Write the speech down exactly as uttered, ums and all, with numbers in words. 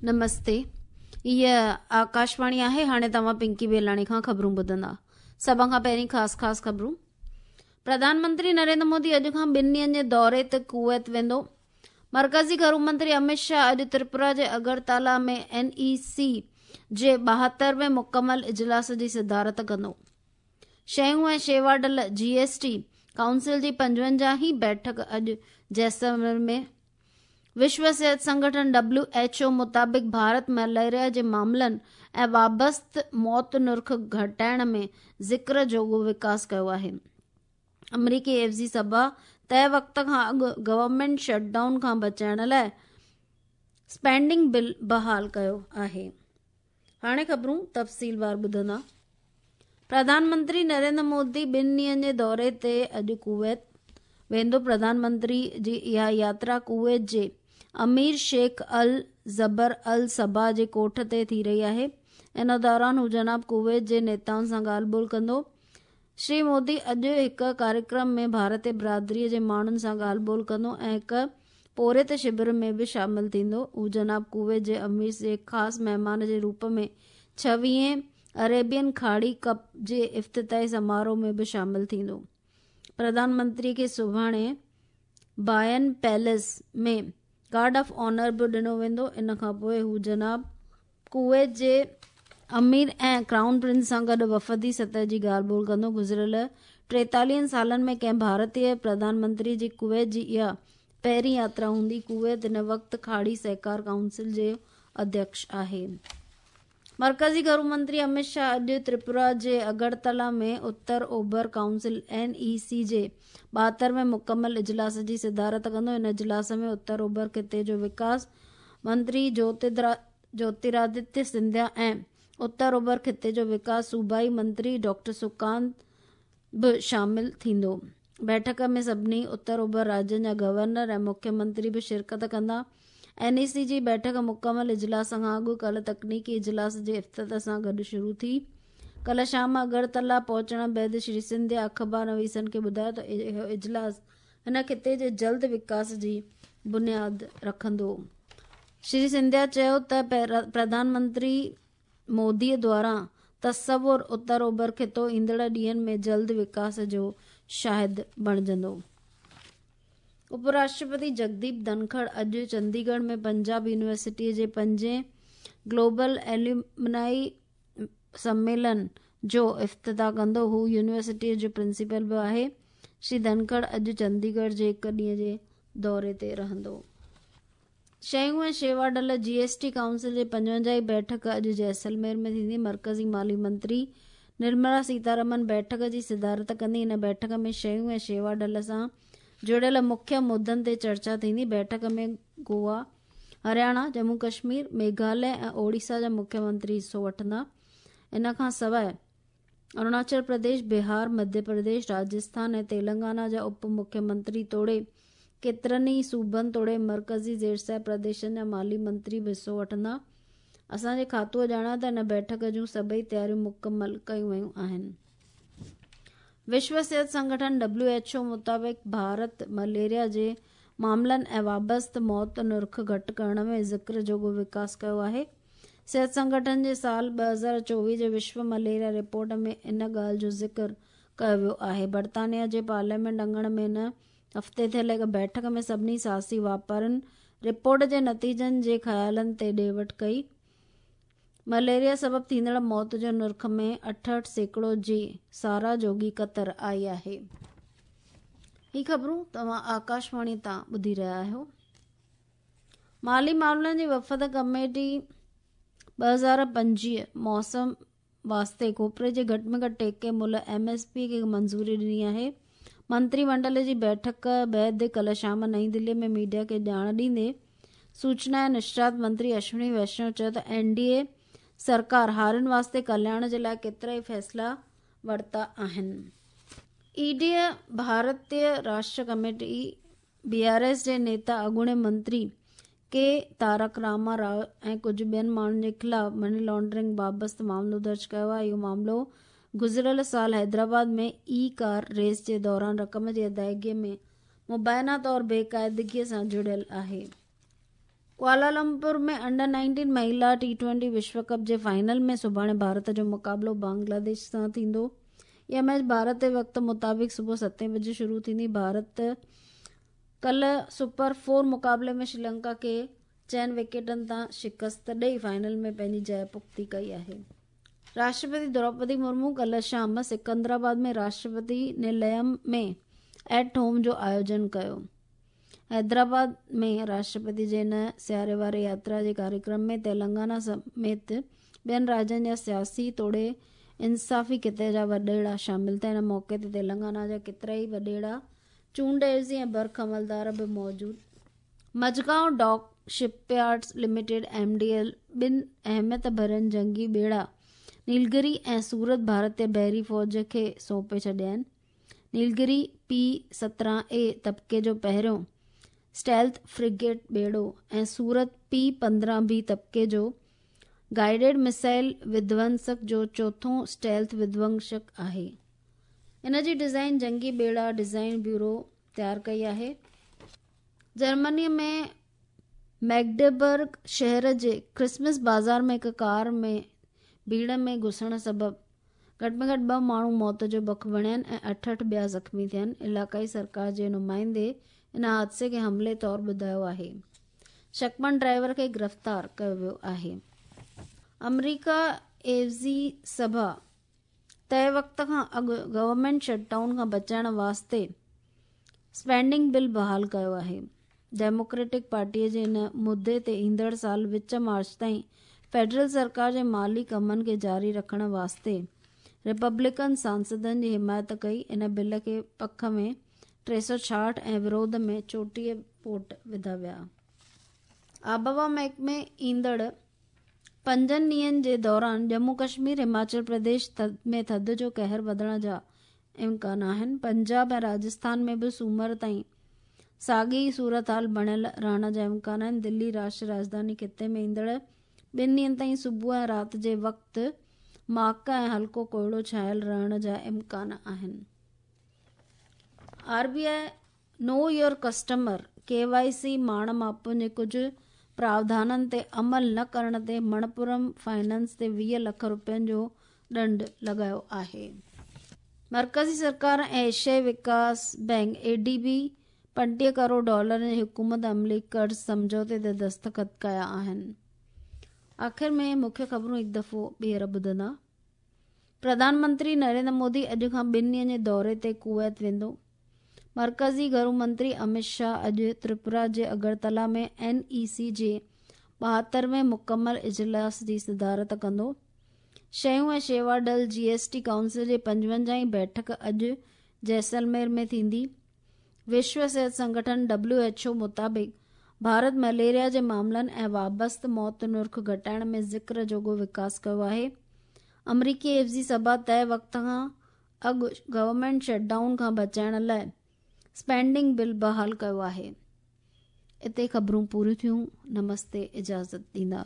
نمستي، هيء آڪاشواڻي آهي. هاڻي توهان پنڪي بيلاڻي کان خبرون ٻڌندا. سڀ کان پهرين خاص خاص خبرون. پرڌان منتري نريندر مودي اڄ کان ٻن ڏينهن جي دوري تي ڪويت ويندو. مرڪزي گهرو منتري امت شاهه اڄ تريپورا جي اگرتالا ۾ اين اي سي جي ٻاهتر وين مڪمل اجلاس جي صدارت ڪندو. شيون ۽ شيوا ڍل جي ايس ٽي ڪائونسل جي پنجونجاهين بيٺڪ اڄ جيسلمير ۾. وشو صحت سنگٺن ڊبليو ايڇ او مطابق ڀارت مليريا جي معاملن ۽ وابسته موت نرخ گهٽائڻ ۾ ذڪر جوڳو وڪاس ڪيو آهي. آمريڪي عيوضي سڀا طئي وقت کان اڳ گورنمينٽ شٽ ڊائون کان بچائڻ لاءِ اسپينڊنگ بل بحال ڪيو آهي. هاڻي خبرون تفصيلوار ٻڌندا. پرڌان منتري نريندر مودي ٻن ڏينهن جي دوري تي اڄ ڪويت ويندو. پرڌان منتري جي اها ياترا ڪويت جي امير شيخ ال جبر ال صباح جي ڪوٺ تي ٿي رهي آهي. ان دوران هو جناب ڪويت جي نيتائن سان ڳالهه ٻولهه ڪندو. شري مودي اڄ هڪ ڪاريڪرم ۾ ڀارتي برادري جي ماڻهن سان ڳالهه ٻولهه ڪندو ۽ هڪ پورهيت شور ۾ به شامل ٿيندو. هو جناب ڪويت جي امير جي خاص مهمان جي روپ ۾ ڇويهين اريبين کاڙي ڪپ جي افتتاحي سماروهه ۾ به شامل ٿيندو. پرڌان منتري کي سڀاڻي باين پيلس ۾ گارڊ آف آنر به ڏنو ويندو. ان کان پوءِ هو جناب ڪويت جي امير ۽ ڪرائون پرنس سان گڏ وفدي سطح جي ڳالهه ٻولهه ڪندو. گذريل ٽيتاليهن سالن ۾ ڪنهن ڀارتي پرڌان منتري جي ڪويت جي اها پهرين ياترا هوندي. ڪويت هن وقت کاڙي سهڪار ڪائونسل جو اڌيڪش آهي. مرڪزي گهرو منتري امت شاهه اڄ تريپورا جي اگرتلا ۾ اتر اوڀر ڪائونسل اين اي سي جي ٻاهتر وين مڪمل اجلاس جي صدارت ڪندو. ان اجلاس ۾ اتر اوڀر خطي جو وڪاس منتري جوتيرادتيه سنڌيا ۽ اتر اوڀر خطي جو وڪاس صوبائي منتري ڊاڪٽر سڪانت به شامل ٿيندو. بيٺڪ ۾ سڀني اتر اوڀر راجين جا گورنر ۽ مکيه منتري به شرڪت ڪندا. اين اي سي جي بيٺڪ مڪمل اجلاس کان اڳ ڪالهه تڪنيڪي اجلاس جي افتتاح سان گڏ شروع ٿي. ڪالهه شام اگرتلا پهچڻ بعد شري سنڌيا اخبار نويسن کي ٻڌايو ته اهو اجلاس هن خطي جي جلد وڪاس جي بنياد رکندو. شري سنڌيا چيو ته پرڌان منتري مودي دواران تصور اتر اوڀر خطو ايندڙ ڏينهن ۾ جلد وڪاس جو شاهد بڻجندو. اپراشٽرپتي جگديپ ڌنکڙ اڄ چنديڳڙهه ۾ پنجاب يونيورسٽي جي پنجين گلوبل ايلومنائي سميلن جو افتتاح ڪندو. هو يونيورسٽي جو پرنسپل به آهي. شري ڌنکڙ اڄ چنديڳڙهه جي هڪ ڏينهن جي دوري تي رهندو. شيون ۽ شيوا ڍل جي ايس ٽي ڪائونسل جي پنجونجاهين بيٺڪ اڄ جيسلمير ۾ ٿيندي. مرڪزي مالي منتري نرملا سيتارمن بيٺڪ جي صدارت ڪندي. هن بيٺڪ ۾ شيون ۽ شيوا ڍل سان جڙيل مکيه مدن تي چرچا ٿيندي. بيٺڪ ۾ گوا، هرياڻا، ڄمون ڪشمير، ميگهاليه ۽ اوڙيسا جا مکيه منتري حصو وٺندا. ان کان سواءِ اروناچل پرديش، بهار، مڌيه پرديش، راجسٿان ۽ تيلنگانا جا اپ مکيه منتري توڙي ڪيترن ئي صوبن توڙي مرڪزي زيرصاحب پرديشن جا مالي منتري به حصو وٺندا. اسان جي کاتوءَ ڄاڻايو ته هن بيٺڪ جون سڀئي تياريون مڪمل ڪيون ويون آهن. وشو صحت سنگٺن ڊبليو ايڇ او مطابق ڀارت مليريا جي معاملن ۽ وابسته موت نرخ گهٽ ڪرڻ ۾ ذڪر جوڳو وڪاس ڪيو آهي. صحت سنگٺن جي سال ٻه هزار چوويهه جي وشو مليريا رپورٽ ۾ ان ڳالهه جو ذڪر ڪيو ويو آهي. برطانيا جي پارليامينٽ اڱڻ ۾ هن هفتي ٿيل هڪ بيٺڪ ۾ سڀني سياسي واپارين رپورٽ جي نتيجن جي خيالن تي ڏي وٺ ڪئي. مليريا سبب ٿيندڙ موت جو نرخ ۾ اٺهٺ سيڪڙو جي ساراهه جوڳي ڪتر آئي آهي. هي خبرون توهان آڪاشواڻي تان ٻڌي رهيا آهيو. مالي معاملن جي وفد ڪميٽي ٻه هزار پنجويهه موسم واسطي کوپري جي گهٽ ۾ گهٽ ٽيڪي ملهه ايم ايس پي کي منظوري ڏني آهي. منتري منڊل جي بيٺڪ بعد ڪالهه شام نئين دلي ۾ ميڊيا کي ڄاڻ ڏيندي سوچنا ۽ نشرات منتري اشوني ويشنو چيو ته اين ڊي اي سرڪار هارين واسطي ڪلياڻ جي لاءِ ڪيترا ئي فيصلا ورتا آهن. اي ڊي ڀارتيه Rashtriya committee B R S جي نيتا اڳوڻي منتري ڪي تارڪ راما رائو ۽ ڪجهه ٻين ماڻهن جي خلاف مني لانڊرنگ بابت معاملو درج ڪيو آهي. اهو معاملو گذريل سال حيدرآباد ۾ اي ڪار ريس جي دوران رقم جي ادائگي ۾ مبينا طور بيقاعدگي سان جڙيل آهي. ڪوالالمپور ۾ انڊر نائنٽين مهلا ٽي ٽوئنٽي وشو ڪپ جي فائنل ۾ سڀاڻي ڀارت جو مقابلو بنگلاديش سان ٿيندو. اها ميچ ڀارت جي وقت مطابق صبح ستين بجي شروع ٿيندي. ڀارت ڪلهه سپر فور مقابلي ۾ شري لنڪا کي چئن وڪيٽن تان شڪست ڏئي فائنل ۾ پنهنجي جاءِ پختي ڪئي آهي. راشٽرپتي دروپدي مرمو ڪلهه شام سڪندرآباد ۾ راشٽرپتي نليم ۾ ايٽ هوم جو آيوجن ڪيو. حيدرآباد ۾ راشٽرپتي جي هن سياري واري ياترا جي ڪاريڪرم ۾ تيلنگانا سميت ٻين راجين جا سياسي توڙي انصافي خطي جا وڏيرا شامل ٿيا. هن موقعي تي تيلنگانا جا ڪيترائي وڏيرا، چونڊ عيوضي ۽ برک عملدار به موجود. Mazagon Dock Shipyards Limited M D L ٻن اهميت ڀرين جنگي ٻيڙا نيلگري ۽ سورت ڀارتي بحري فوج کي سونپي ڇڏيا آهن. نيلگري پي سترهن اي طبقي جو پهريون اسٽيلٿ فرگيٽ ٻيڙو ۽ سورت پي پندرهن بي طبقي جو گائيڊڊ مسائل وڌونسڪ جو چوٿون اسٽيلٿ وڌونسڪ آهي. ان جي ڊزائين جنگي ٻيڙا ڊزائين بيورو تيار ڪئي آهي. جرمني ۾ ميگڊبرگ شهر جي ڪرسمس بازار ۾ هڪ ڪار ۾ ڀيڙ ۾ گهسڻ سبب گهٽ ۾ گهٽ ٻه ماڻهو موت جو بک بڻيا آهن ۽ اٺهٺ ٻيا زخمي ٿيا آهن. علائقائي سرڪار جي نمائندي ان حادثي کي حملي طور ٻڌايو آهي. شڪمن ڊرائيور کي گرفتار ڪيو ويو آهي. آمريڪا عيوضي سڀا طئي وقت کان اڳ گورنمينٽ شٽ ڊائون کان بچائڻ واسطي اسپينڊنگ بل بحال ڪيو آهي. ڊيموڪريٽڪ پارٽيءَ جي ان مدي تي ايندڙ سال وچ مارچ تائين فيڊرل سرڪار جي مالي ڪمن کي جاري رکڻ واسطي ريپبلڪن سانسدن جي حمايت ڪئي. ان بل کي پک ۾ ٽي سؤ ڇاهٺ ۽ وروڌ ۾ چوٽيهه ووٽ وڌا ويا. آبهوا محڪمي ايندڙ پنجن ڏينهن جي دوران ڄمون ڪشمير، هماچل پرديش ۾ ٿڌ جو قهر وڌڻ جا امڪان آهن. پنجاب ۽ راجسٿان ۾ به سومر تائين ساڳي ئي صورتحال بڻيل رهڻ جا امڪان آهن. دلي راشٽريه راڄڌاني خطي ۾ ايندڙ ٻن ڏينهن تائين صبح ۽ رات جي وقت ماڪ ۽ هلڪو ڪوهيڙو ڇانيل رهڻ جا امڪان آهن. R B I know your customer K Y C ماڻ ماپن جي ڪجهه پراوڌانن تي عمل نه ڪرڻ تي مڻپورم فائنانس تي ويهه لک رپين جو ڏنڊ لڳايو آهي. مرڪزي سرڪار ۽ ايشيائي وڪاس بينڪ اي ڊي بي پنٽيهه ڪروڙ ڊالرن جي حڪومت عملي قرض سمجهوتي تي دستخط ڪيا آهن. آخر ۾ مکيه خبرون هڪ دفعو ٻيهر ٻڌندا. پرڌان منتري نريندر مودي اڄ کان ٻن ڏينهن جي دوري تي ڪويت ويندو. مرڪزي گهرو منتري امت شاهه اڄ تريپورا جي اگرتلا ۾ اين اي سي جي ٻاهترهين مڪمل اجلاس جي صدارت ڪندو. شيون ۽ شيوا ڊل جي ايس ٽي ڪائونسل جي پنجونجاهين بيٺڪ اڄ جيسلمير ۾ ٿيندي. وشو صحت سنگٺن ڊبليو ايڇ او مطابق ڀارت مليريا جي معاملن ۽ وابسته موت نرخ گهٽائڻ ۾ ذڪر جوڳو وڪاس ڪيو آهي. آمريڪي عيوضي سڀا طئي وقت کان اڳ گورنمينٽ شٽ ڊائون کان بچائڻ لاءِ اسپينڊنگ بل بحال ڪيو آهي. اتي خبرون پوريون ٿيون. نمستي، اجازت ڏيندا.